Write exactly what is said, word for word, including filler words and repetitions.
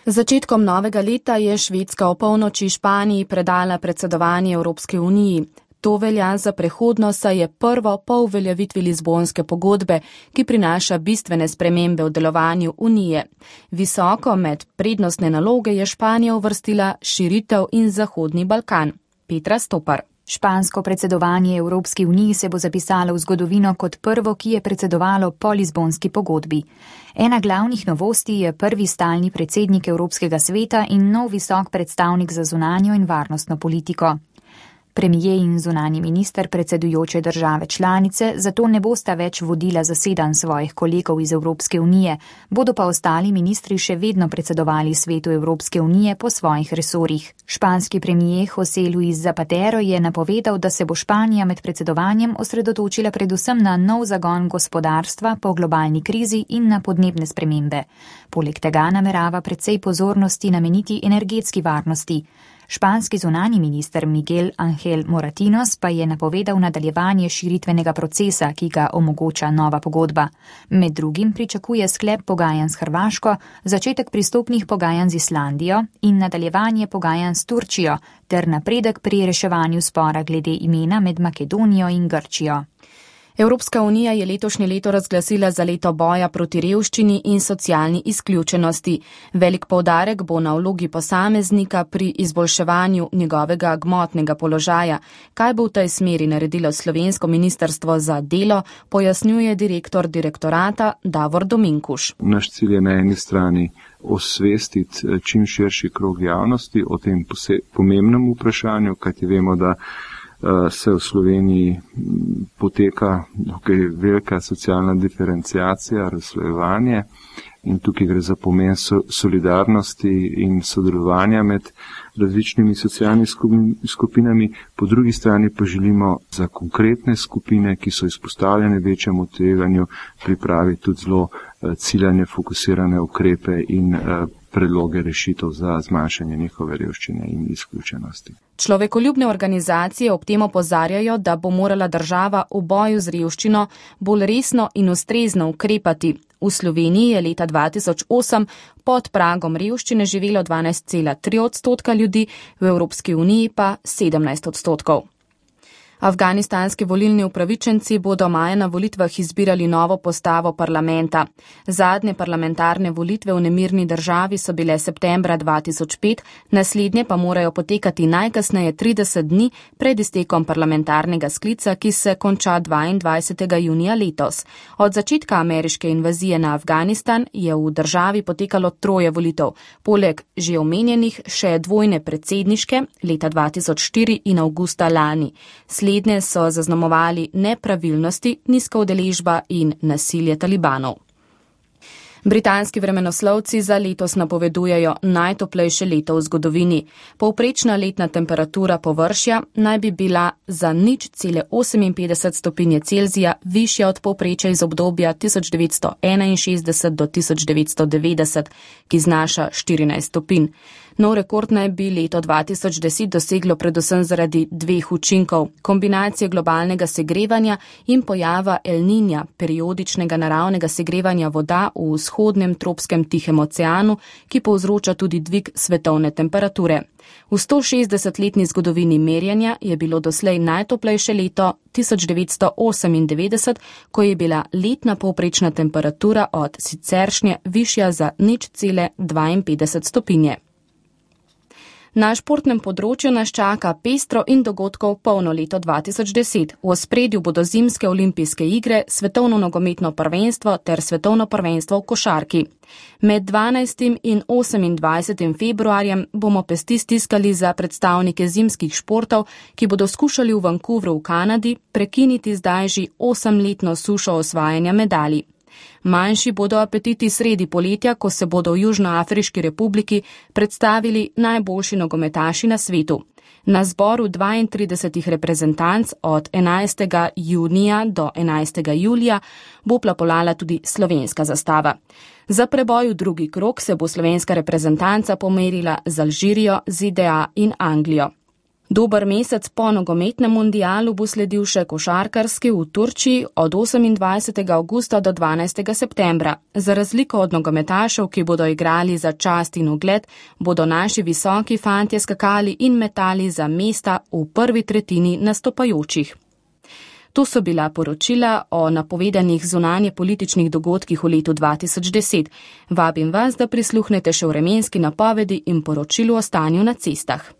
Z začetkom novega leta je Švedska o polnoči Španiji predala predsedovanje Evropske uniji. To velja za prehodno, saj je prvo po uveljavitvi Lizbonske pogodbe, ki prinaša bistvene spremembe v delovanju unije. Visoko med prednostne naloge je Španija uvrstila širitev in Zahodni Balkan. Petra Stopar. Špansko predsedovanje Evropski uniji se bo zapisalo v zgodovino kot prvo, ki je predsedovalo po Lizbonski pogodbi. Ena glavnih novosti je prvi stalni predsednik Evropskega sveta in nov visok predstavnik za zunanjo in varnostno politiko. Premijer in zunanji minister predsedujoče države članice zato ne bosta več vodila zasedanj svojih kolegov iz Evropske unije, bodo pa ostali ministri še vedno predsedovali svetu Evropske unije po svojih resorjih. Španski premijer José Luis Zapatero je napovedal, da se bo Španija med predsedovanjem osredotočila predvsem na nov zagon gospodarstva po globalni krizi in na podnebne spremembe. Poleg tega namerava precej pozornosti nameniti energetski varnosti. Španski zunanji minister Miguel Ángel Moratinos pa je napovedal nadaljevanje širitvenega procesa, ki ga omogoča nova pogodba. Med drugim pričakuje sklep pogajanj s Hrvaško, začetek pristopnih pogajanj z Islandijo in nadaljevanje pogajanj s Turčijo ter napredek pri reševanju spora glede imena med Makedonijo in Grčijo. Evropska unija je letošnje leto razglasila za leto boja proti revščini in socialni izključenosti. Velik poudarek bo na vlogi posameznika pri izboljševanju njegovega gmotnega položaja. Kaj bo v tej smeri naredilo slovensko ministrstvo za delo, pojasnjuje direktor direktorata Davor Dominkuš. Naš cilj je na eni strani osvestiti čim širši krog javnosti o tem pomembnem vprašanju, kajti vemo, da se v Sloveniji poteka tukaj velika socialna diferenciacija, razslojevanje in tukaj gre za pomen solidarnosti in sodelovanja med različnimi socialnimi skupinami. Po drugi strani pa želimo za konkretne skupine, ki so izpostavljene večjemu tveganju, pripraviti tudi zelo ciljane, fokusirane ukrepe in predloge rešitev za zmanjšanje njihove revščine in izključenosti. Človekoljubne organizacije ob tem opozarjajo, da bo morala država v boju z revščino bolj resno in ustrezno ukrepati. V Sloveniji je leta dva tisoč osem pod pragom revščine živelo dvanajst cela tri odstotka ljudi, v Evropski uniji pa sedemnajst odstotkov. Afganistanski volilni upravičenci bodo maja na volitvah izbirali novo postavo parlamenta. Zadnje parlamentarne volitve v nemirni državi so bile septembra dva tisoč pet, naslednje pa morajo potekati najkasneje trideset dni pred iztekom parlamentarnega sklica, ki se konča dvaindvajsetega junija letos. Od začetka ameriške invazije na Afganistan je v državi potekalo troje volitev, poleg že omenjenih še dvojne predsedniške leta dva tisoč štiri in avgusta lani. Slednje so zaznamovali nepravilnosti, nizka udeležba in nasilje talibanov. Britanski vremenoslovci za letos napovedujejo najtoplejše leto v zgodovini. Povprečna letna temperatura površja naj bi bila za nič cele oseminpetdeset stopinje Celzija višja od povprečja iz obdobja tisoč devetsto enainšestdeset do tisoč devetsto devetdeset, ki znaša štirinajst stopinj. Nov rekord naj bi leto dva tisoč deset doseglo predvsem zaradi dveh učinkov, kombinacije globalnega segrevanja in pojava El Niña, periodičnega naravnega segrevanja voda v vzhodnem tropskem Tihem oceanu, ki povzroča tudi dvig svetovne temperature. V stošestdesetletni zgodovini merjenja je bilo doslej najtoplejše leto tisoč devetsto osemindevetdeset, ko je bila letna povprečna temperatura od siceršnje višja za nič cele dvainpetdeset stopinje. Na športnem področju nas čaka pestro in dogodkov polno leto dva tisoč deset. V ospredju bodo zimske olimpijske igre, svetovno nogometno prvenstvo ter svetovno prvenstvo v košarki. Med dvanajstim in osemindvajsetim februarjem bomo pesti stiskali za predstavnike zimskih športov, ki bodo skušali v Vancouvru v Kanadi prekiniti zdaj že osemletno sušo osvajanja medalj. Manjši bodo apetiti sredi poletja, ko se bodo v Južnoafriški republiki predstavili najboljši nogometaši na svetu. Na zboru dvaintridesetih reprezentanc od enajstega junija do enajstega julija bo plapolala tudi slovenska zastava. Za preboj v drugi krog se bo slovenska reprezentanca pomerila z Alžirijo, Z D A in Anglijo. Dober mesec po nogometnem mundialu bo sledil še košarkarski v Turčiji od osemindvajsetega avgusta do dvanajstega septembra. Za razliko od nogometašev, ki bodo igrali za čast in ugled, bodo naši visoki fantje skakali in metali za mesta v prvi tretjini nastopajočih. To so bila poročila o napovedanih zunanje političnih dogodkih v letu dva tisoč deset. Vabim vas, da prisluhnete še vremenski napovedi in poročilu o stanju na cestah.